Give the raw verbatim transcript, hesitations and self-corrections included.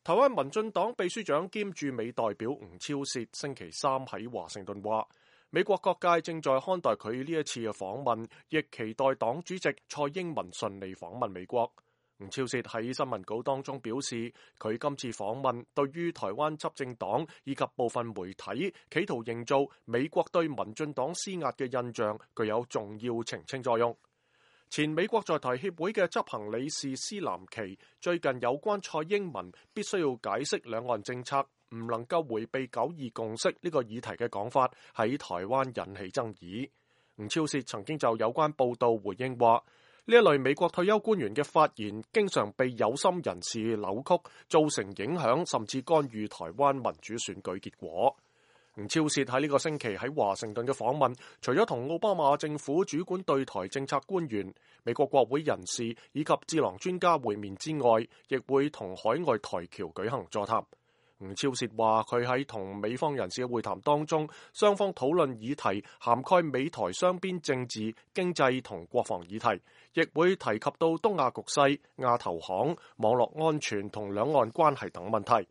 台灣民進黨秘書長兼駐美代表吳釗燮星期三喺華盛頓話，美國各界正在看待佢呢一次嘅訪問，亦期待黨主席蔡英文順利訪問美國。吳釗燮喺新聞稿當中表示，佢今次訪問對於台灣執政黨以及部分媒體企圖營造美國對民進黨施壓嘅印象，具有重要澄清作用。前美國在台協會嘅執行理事施南琪最近有關蔡英文必須要解釋兩岸政策，唔能夠迴避九二共識呢個議題嘅講法喺台灣引起爭議。吳釗燮曾經就有關報導回應話，呢一類美國退休官員嘅發言經常被有心人士扭曲，造成影響甚至干預台灣民主選舉結果。吳釗燮喺呢個星期喺華盛頓嘅訪問，除咗同奧巴馬政府主管對台政策官員、美國國會人士以及智囊專家會面之外，亦會同海外台僑舉行座談。吳釗燮話佢喺同美方人士嘅會談當中，雙方討論議題涵蓋美台雙邊政治、經濟同國防議題，亦會提及到東亞局勢、亞投行、網絡安全同兩岸關係等問題。